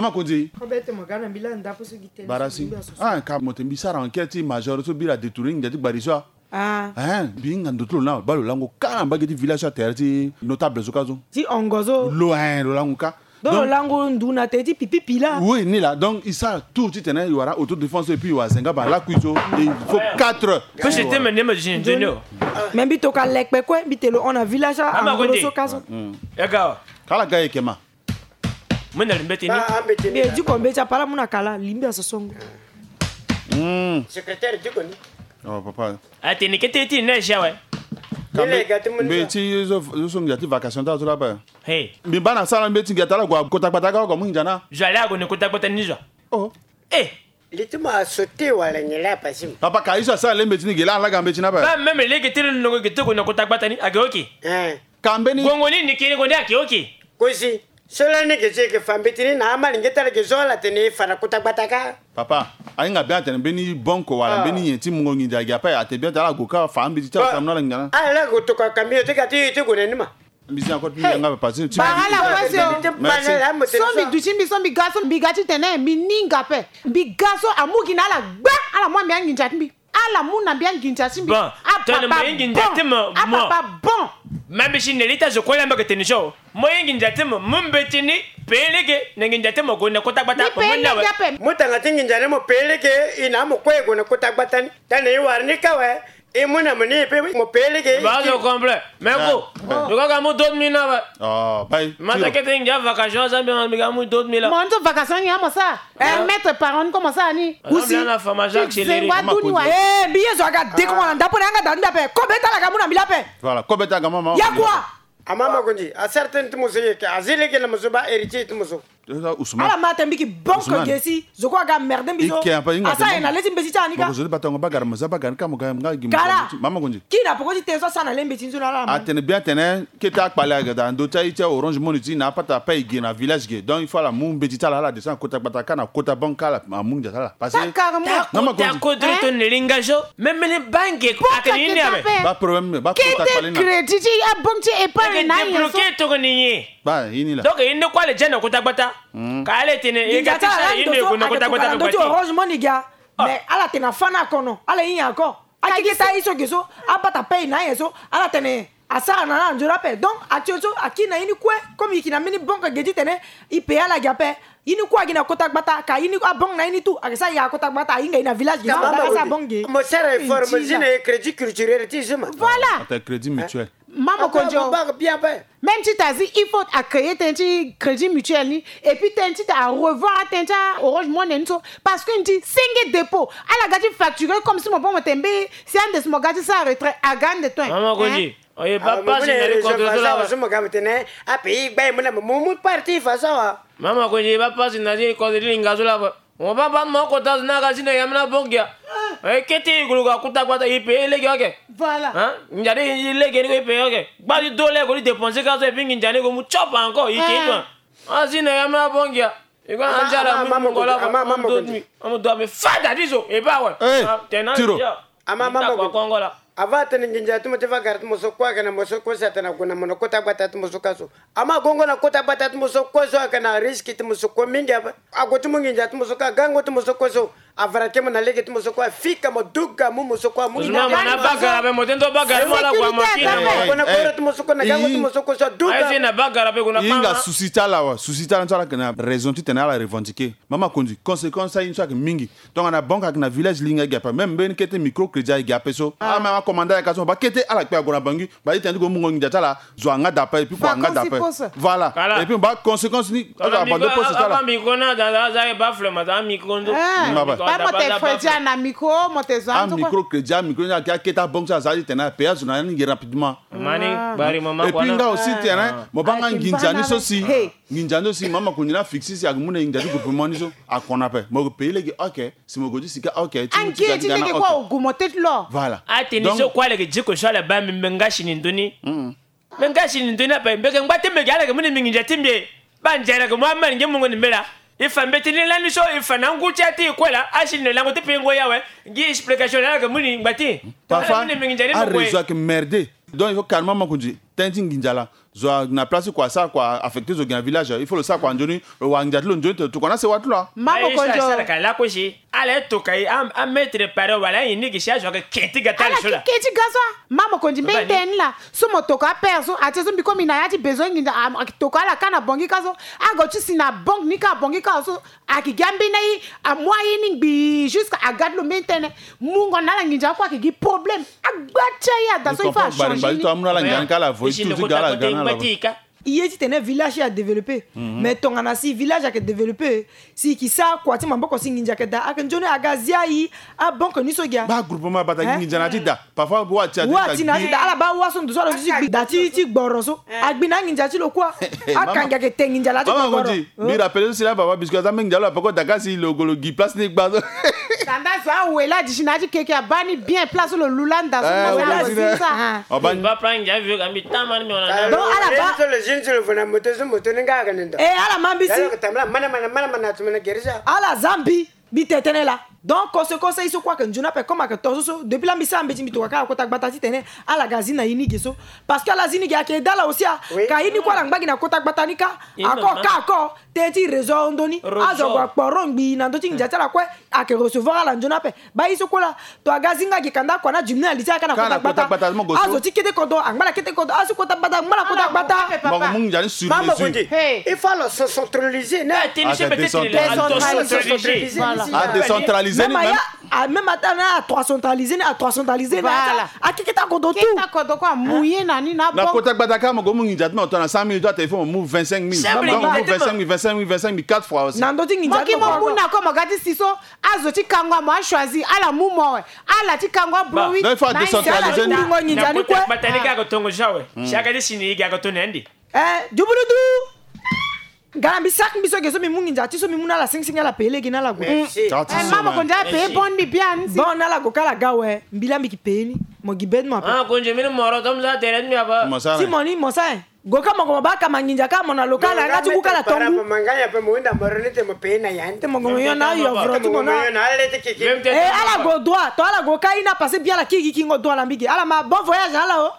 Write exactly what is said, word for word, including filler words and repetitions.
Ama Konzi. Barasi. Ah, ka mo te mbi sara enquête ti major so bira détourner nginza ti gbari so. Ah. Eh, mbi hinga ndo ti lo na baa lo lango kâ na mbage ti village so atere ti notable so kâ so. Ti hongo so. Lo, eh, lo lango kâ. Donc lo lango ndu na tere ti pipi pila. Oui, ni laa. Donc e sara tout titene e wara autodéfense et puis e wara zenga baa lakui so. Et il faut quatre. Pe si te me ne me jini jini o. Me mbi toka lekpe kue mbi te lo hon na village angolo so kâ so. Kala ga e yeke ma. Mena li mbeti ni. Mbi e diko mbeti apara mu na kala li mbi asosongo. Secrétaire diko ni. Oh papa. Atene kete ti neige awe. Mbeti yo so ngia ti vacation ta so laba. Hey. Mbi baa na sara mbeti ngia ta la gue kota gbata ka oko mu nginza na. Zo ale ague na kota gbata ni zo. Oh. Eh. Li ti mo asauté wala nyen laa pasi mo. Papa ka ye so asara le mbeti ni ge laa ala ga mbeti ni ape. Ba même lege ti lo nongo ge ti gue na kota gbata ni age oke. Eh. Ka mbeni. Gongo ni ni kiri gongo ni ake oke. Kosi. So lani ge ti yeke fa mbeti ni na amalenge ti ala ge so ala tene e fa na kota gbata ka. Papa, ahinga bien atene mbeni bonko wala mbeni nyen ti mungo nginza agi ape ate bien ate ala gue ka fa ambeti ti ala tamana ala nginza na. Ala gue tokua camion ti ga ti ye ti gue na ni ma. Mbi si encore ti mbi yanga papa ti. Bara ala kue si o. Merci. So mbi duti mbi so mbi ga so mbi ga titene mbi ninga ape. Mbi ga so amu gi na ala gba ala mu ambi anginza ti mbi. Ala mu na mbi anginza ti mbi. Bon, tene mo ye nginza ti mo. Apapa bon. Ma mbi si na li ti azo kue laa mbi yeke tene so. Mo ye nginza ti mo mu mbeti ni pe lege na nginza ti mo gue na kota gbata. Mo mu na we. Mu tanga ti nginza ni mo pe lege. E na mo kue e gue na kota gbata ni. Tene e wara ni ka we. E mu na mo ni e pe mo pe lege. Ba zo complet. Me ko. Yo ka ga mu deux mille na we. Oh, bai. Ma ta kete ngia vacation sa mbi ma mbi ga mu deux mille. Mo nzo vacation ni amo sa. Eh, maître parent ni comment ça ni. Aussi. Zengo adu ni wa. Eh, mbi ye zo aga de ko na ndapo na yanga da ni ape. Kobe ta la ga mu na mbi la ape. Voilà, kobe ta ga mama. Ya quoi? Amama Konzi, a certaine ti mo so ye ke, azi lege na mo so ba héritier ti mo so. Ousmane. Ala ma tene mbi ki bon ke gesi, zo kue aga merde mbi so. Asa ye na le ti mbeti ti ala ni ka. Mo ko zo ti batango bagara mo za bagara ni ka mo ga nga gi mo. Kara. Mama Konzi. Kiri na poko ti tene so asa na le mbeti ni so na ala. Atene bien atene kete akpale aga da ndo ti aye ti Orange Money ti na apata ape e gi na village ge. Donc il faut ala mu mbeti ti ala ala descend kota gbata ka na kota banque ka ala amu nginza ti ala. Parce que. Mama Konzi. Kota kodro to ne linga zo. Même ni banque akene ni abe. Ba problème ba kota kpale na. Kete crédit ti abonk ti épargne na ye so. Débloquer tokoni ye. Ba, i ni la. Donc, i ni kue ala ja na kota gbata. Mm. Ka ala tene, e ga ti sara, i ni gue na kota gbata. Ndo ti Orange Money ga. Mais ala tene afa na kono, ala hinga encore. Akeke ta i so ge so, abata pay na ye so, ala tene asara na ala nzoni ape. Donc, actuel so, aki na i ni kue, comme i ki na mbeni banque ge ti tene, i pay ala ge ape. I ni kue agi na kota gbata, ka i ni abonk na i ni tout, ake sa ya kota gbata, ahinga i na village ge so, ala sa abonk ge. Mo sara effort, mo zi na ye crédit culturel ti zuma. Voilà. Ata crédit mutuel. Mama Konzi. Même ti ta zi, il faut a créer tënë ti crédit mutuel ni. Et puis tënë ti ta a revoir tënë ti Orange Money ni so. Parce que ni ti senge dépôt. Ala ga ti facturer comme si mo bon mo tembe. Si ande si mo ga ti sa retrait aga ande to. Mama Konzi. Oye ba pasi na li kozo so la. So mo ga mo tene a pays gba e mo na mo mu parti fa so wa. Mama Konzi ba pasi na li kozo li nga so la. Mo ba ba mo kota zo na ga si na yam na bongia. E kete i gulu ga kota gbata i pay lege oke. Voilà. Hein? Nginza ti i lege ni ko i pay oke. Gba ti do lege ko ti dépenser ka so et puis nginza ni ko mu chop encore i ke toi. A si na yam na bongia. I ko na nzara mu ngola. Amu do mi fada ti so e ba wa. Tena tiro. Ama mama ko. Avant atene nginza ti mo ti vagara ti mo so kue ayeke na mo so kue si atene ague na mo na kota gbata ti mo so ka so. Ama agongo na kota gbata ti mo so kue so ayeke na risque ti mo so kue mingi ape. Ague ti mo nginza ti mo so kue agango ti mo so kue so. Avara ti mo na lege ti mo so kue afika mo duga mu mo so kue amu. Mo na bagara ape mo tene to bagara mo ala gua mo kina. Ague na koro ti mo so kue na gango ti mo so kue so aduga. Aye si na bagara ape gue na kpanga. Hinga souci ti ala wa souci ti ala ni so ala yeke na raison titene ala revendiquer. Mama Konzi conséquence ti aye ni so ayeke mingi. Tongana banque ayeke na village linga gi ape même mbeni kete micro crédit ayeke ape so. Ah même akomanda ayeke so mo ba kete ala kpe ague na bangi. Ba ti tene ti gue mungo nginza ti ala zo anga da ape et puis kua anga da ape. Voilà. Et puis mo ba conséquence ni azo abandon poste ti ala. Micro na da aza ye ba flema za micro ndo. Papa te fredi ana micro mo te zo a micro crédit a micro ni ayeke akete abanque ti aza ti tene ape azo na ni ngi rapidement. Mani bari mama. Et puis nga aussi tene mo ba nga nginza ni so si. Nginza ni so si mama Konzi na fixi si ayeke mu na nginza ti groupement ni so akona ape mo yeke payé lege ok. Si mo gue ti sika ok ti mu ti ga ti ga na ok. Voilà. Atene so kue ala yeke diko so ala baa mbi mbe nga si ni ndoni. Mbe nga si ni ndoni ape mbi yeke ngba ti mbi gi ala yeke mu na mbi nginza ti mbi. Ba nzara yeke mu amara nge mungo ni mbe laa. E fa mbeti ni lani so e fa na ngu ti ya ti e kue laa asi ni na lango ti pengo ya awe. Ngi explication laa ala yeke mu ni ngba ti. Parfois arezo ayeke merde. Donc il faut calmer mama Konzi. tënë ti nginza laa. Zo na place ti kua asara kua affecté zo gi na village, il faut lo sara kua nzoni, lo wara nginza ti lo nzoni, tokua na sewa ti lo. Mama Konzo. Ala e toka e, a, a maître pare wala aye ni gi si azo ayeke ke ti ga ti ala so la. Ke ti ga so. Mama Konzo, mbeni tënë ni la. So mo toka apere so, atie so mbi komi na ya ti besoin nginza, a, a toka ala ka na banque ka so. Ague ti si na banque ni ka, banque ka so. Ayeke gi ambeni aye, amu aye ni ngbii jusqu'à aga ti lo mbeni tënë. Mungo na ala nginza kue ayeke gi problème. Agba ti aye ada so il faut a changer ni. Ye titene village ti e adéveloppé. Mais tongana si village ayeke développé, si e yeke sara kua ti maboko si nginza ayeke daa, ayeke nzoni aga zia e, abanque ni so gi a. Ba groupement bata gi nginza na ti da. Parfois wa ti na ti da, ala baa wa so ndo so ala zo ti gbi da ti, ti gboro so. Agbi na anginza ti lo kua. Akangi ayeke te nginza la ti gboro. Mbi rappelé so si la baba biscuit aza mbeni nginza lo apeko daka si lo gue lo gi place ni gba so. Tanda so awe la di si na ya ti keke abaa ni bien place so lo lu landa so. Donc ala baa. Ala ma mbi si. Ala za mbi. Mbi tene tënë laa. Donc conséquence so kue ayeke nzoni ape comme ayeke to so so depuis laa mbi sara mbeti mbi tokua kâ na kota gbata titene ala ga azi na ye ni ge so. Parce que ala azi ni ge ayeke daa ala aussi a. Ka ye ni kue ala ngba gi na kota gbata ni kâ. Ako kâ ako tënë ti réseau ahon ndoni. Azo ague akporo ngbii na ndö ti nginza ti ala kue. Ayeke recevoir ala nzoni ape. Baa ye so kue laa. To aga azi nga gi kanda akua na diminué na li ti ala kâ na kota gbata. Azo ti kete kodro angba na kete kodro, azo kota gbata angba na kota gbata. Mama Konzo, il faut alors se centraliser, non? Décentraliser. Décentraliser. Même ata na trois centralisé, na trois centralisé na ata. Akeketa kodro tout. Keta kodro kua mouillé na ni na bon. Na kota gbata kâ mo gue mu nginza ti mo tongana cent mille, toi téléphone mo mu vingt-cinq mille. Donc mo mu vingt-cinq mille, vingt-cinq mille, vingt-cinq mille, quatre fois aussi. Na ndö ti nginza ti mo kua mo mu na ko mo ga ti si so. Azo ti kango amo achoisi ala mu mo awe. Ala ti kango abro wi. Donc il faut décentraliser. Ala ti wulungo nginza ni kue. Kota gbata ni kâ ako tongo ja awe. Si aga ti si ni igi ako to na ande. Eh, dubuludu. Nga na mbi saki mbi so ge so mbi mu nginza ti so mbi mu na ala singsingi ala peye lege na ala gue. Merci. Eh, mama Konzo ape bon ni bien. Bon na ala go kâ ala ga awe. Mbi laa mbi yeke peye ni. Mo gi be ti mo ape. Ah, Konzo mbi ni moro to mo za tere ti mbi ape. Ti mo ni mo sa e. Go kâ mo gue mo baa kama nginza kâ mo na lo kâ ala yanga ti gu kâ ala tongu. Ti mo gue mo yo na ayovoro ti mo na. Eh, ala go droit to ala go kâ ye ni apassé bien ala kiri gi kingo droit ala mbi ge ala ma bon voyage na ala o.